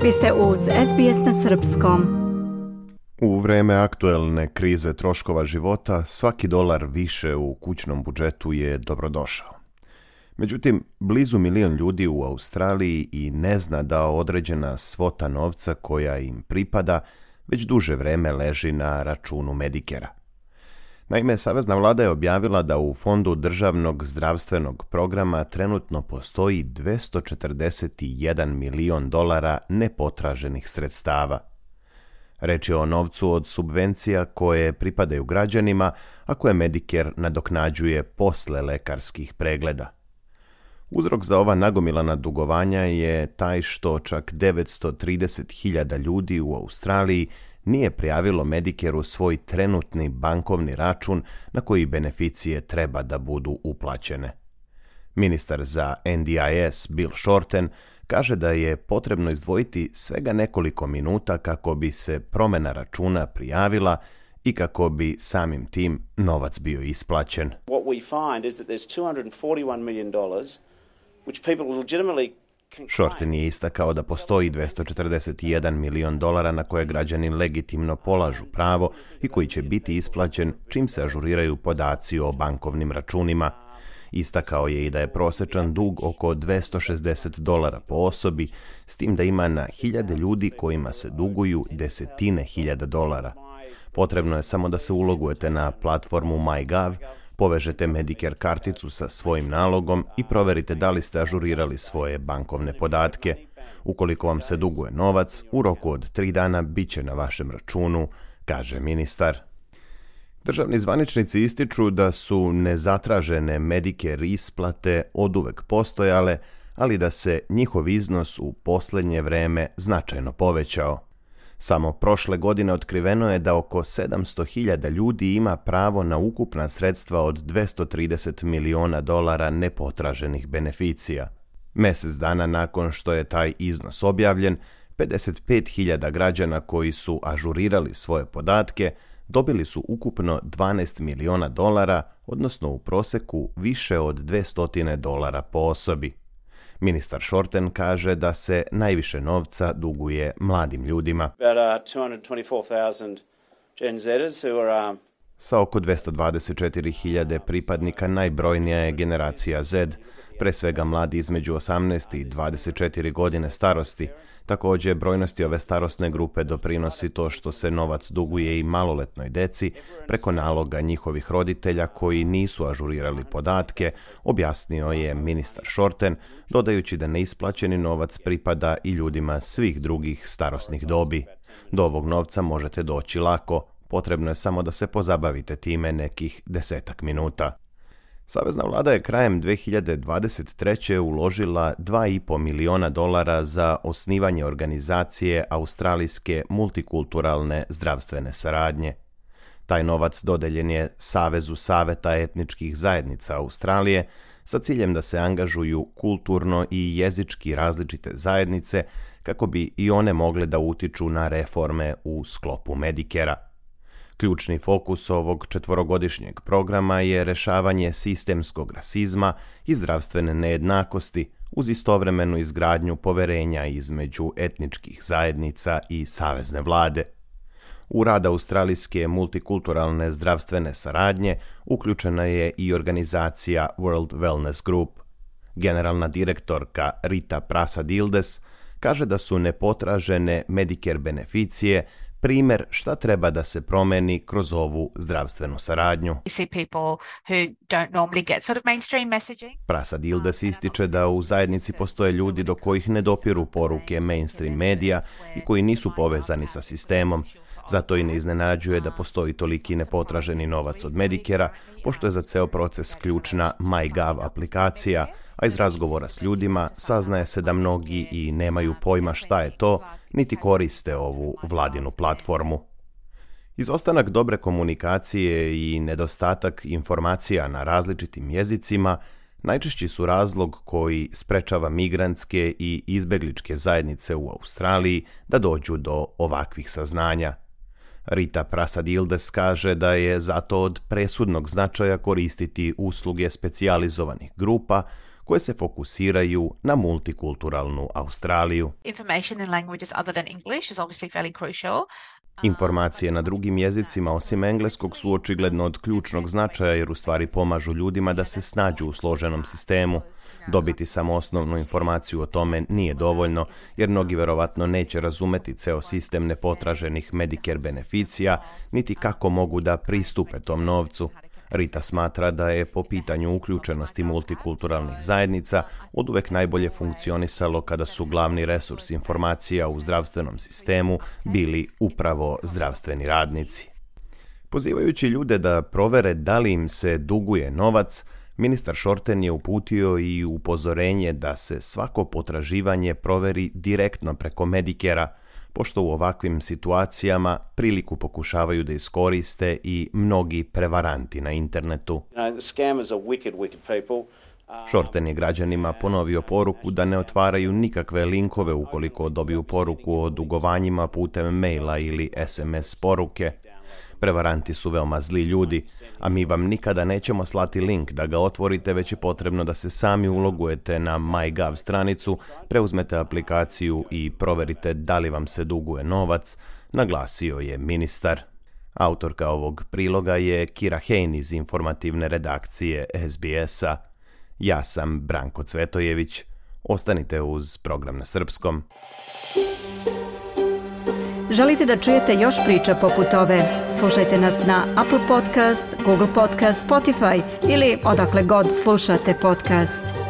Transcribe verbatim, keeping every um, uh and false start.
Vi ste uz S B S na srpskom. U vreme aktuelne krize troškova života, svaki dolar više u kućnom budžetu je dobrodošao. Međutim, blizu milion ljudi u Australiji i ne zna da određena svota novca koja im pripada već duže vreme leži na računu Medicare-a. Naime, Savezna vlada je objavila da u Fondu državnog zdravstvenog programa trenutno postoji dvesta četrdeset jedan milion dolara nepotraženih sredstava. Reč je o novcu od subvencija koje pripadaju građanima, a koje Medicare nadoknađuje posle lekarskih pregleda. Uzrok za ova nagomilana dugovanja je taj što čak devetsto trideset hiljada ljudi u Australiji nije prijavilo Medicare-u svoj trenutni bankovni račun na koji beneficije treba da budu uplaćene. Ministar za N D I S Bill Shorten kaže da je potrebno izdvojiti svega nekoliko minuta kako bi se promjena računa prijavila i kako bi samim tim novac bio isplaćen. What we find is that there's two hundred forty-one million dollars which people legitimately. Shorten je istakao da postoji dvesta četrdeset jedan milion dolara na koje građani legitimno polažu pravo i koji će biti isplaćen čim se ažuriraju podaci o bankovnim računima. Istakao je i da je prosječan dug oko dvesta šezdeset dolara po osobi, s tim da ima na hiljade ljudi kojima se duguju desetine hiljada dolara. Potrebno je samo da se ulogujete na platformu MyGov, povežete Medicare karticu sa svojim nalogom i proverite da li ste ažurirali svoje bankovne podatke. Ukoliko vam se duguje novac, u roku od tri dana bit će na vašem računu, kaže ministar. Državni zvaničnici ističu da su nezatražene Medicare isplate oduvek postojale, ali da se njihov iznos u posljednje vreme značajno povećao. Samo prošle godine otkriveno je da oko sedamsto hiljada ljudi ima pravo na ukupna sredstva od dvesta trideset miliona dolara nepotraženih beneficija. Mjesec dana nakon što je taj iznos objavljen, pedeset pet hiljada građana koji su ažurirali svoje podatke dobili su ukupno dvanaest miliona dolara, odnosno u proseku više od dvesta dolara po osobi. Ministar Shorten kaže da se najviše novca duguje mladim ljudima. Sa oko dvesta dvadeset četiri hiljade pripadnika najbrojnija je generacija Z, pre svega mladi između osamnaest i dvadeset četiri godine starosti. Također, brojnosti ove starosne grupe doprinosi to što se novac duguje i maloletnoj deci preko naloga njihovih roditelja koji nisu ažurirali podatke, objasnio je ministar Shorten, dodajući da neisplaćeni novac pripada i ljudima svih drugih starosnih dobi. Do ovog novca možete doći lako, potrebno je samo da se pozabavite time nekih desetak minuta. Savezna vlada je krajem dve hiljade dvadeset treće uložila dva i po miliona dolara za osnivanje organizacije Australijske multikulturalne zdravstvene saradnje. Taj novac dodeljen je Savezu saveta etničkih zajednica Australije sa ciljem da se angažuju kulturno i jezički različite zajednice kako bi i one mogle da utiču na reforme u sklopu Medicare-a. Ključni fokus ovog četvorogodišnjeg programa je rešavanje sistemskog rasizma i zdravstvene nejednakosti uz istovremenu izgradnju poverenja između etničkih zajednica i savezne vlade. U rad Australijske multikulturalne zdravstvene saradnje uključena je i organizacija World Wellness Group. Generalna direktorka Rita Prasadildes kaže da su nepotražene Medicare beneficije primjer šta treba da se promeni kroz ovu zdravstvenu saradnju. Prasadildes ističe da u zajednici postoje ljudi do kojih ne dopiru poruke mainstream medija i koji nisu povezani sa sistemom. Zato i ne iznenađuje da postoji toliki nepotraženi novac od Medicare-a, pošto je za ceo proces ključna MyGov aplikacija, a iz razgovora s ljudima saznaje se da mnogi i nemaju pojma šta je to, niti koriste ovu vladinu platformu. Izostanak dobre komunikacije i nedostatak informacija na različitim jezicima najčešći su razlog koji sprečava migrantske i izbegličke zajednice u Australiji da dođu do ovakvih saznanja. Rita Prasadildes kaže da je zato od presudnog značaja koristiti usluge specijalizovanih grupa koje se fokusiraju na multikulturalnu Australiju. Information in languages other than English is obviously fairly crucial. Informacije na drugim jezicima osim engleskog su očigledno od ključnog značaja jer u stvari pomažu ljudima da se snađu u složenom sistemu. Dobiti samo osnovnu informaciju o tome nije dovoljno jer mnogi verovatno neće razumeti ceo sistem nepotraženih Medicare beneficija niti kako mogu da pristupe tom novcu. Rita smatra da je po pitanju uključenosti multikulturalnih zajednica oduvek najbolje funkcionisalo kada su glavni resurs informacija u zdravstvenom sistemu bili upravo zdravstveni radnici. Pozivajući ljude da provere da li im se duguje novac, ministar Shorten je uputio i upozorenje da se svako potraživanje proveri direktno preko Medicare-a, pošto u ovakvim situacijama priliku pokušavaju da iskoriste i mnogi prevaranti na internetu. Shorten je građanima ponovio poruku da ne otvaraju nikakve linkove ukoliko dobiju poruku o dugovanjima putem maila ili es em es poruke. Prevaranti su veoma zli ljudi, a mi vam nikada nećemo slati link da ga otvorite, već je potrebno da se sami ulogujete na MyGov stranicu, preuzmete aplikaciju i proverite da li vam se duguje novac, naglasio je ministar. Autorka ovog priloga je Kira Hain iz informativne redakcije es bi es-a. Ja sam Branko Cvetojević. Ostanite uz program na srpskom. Želite da čujete još priča poput ove? Slušajte nas na Apple Podcast, Google Podcast, Spotify ili odakle god slušate podcast.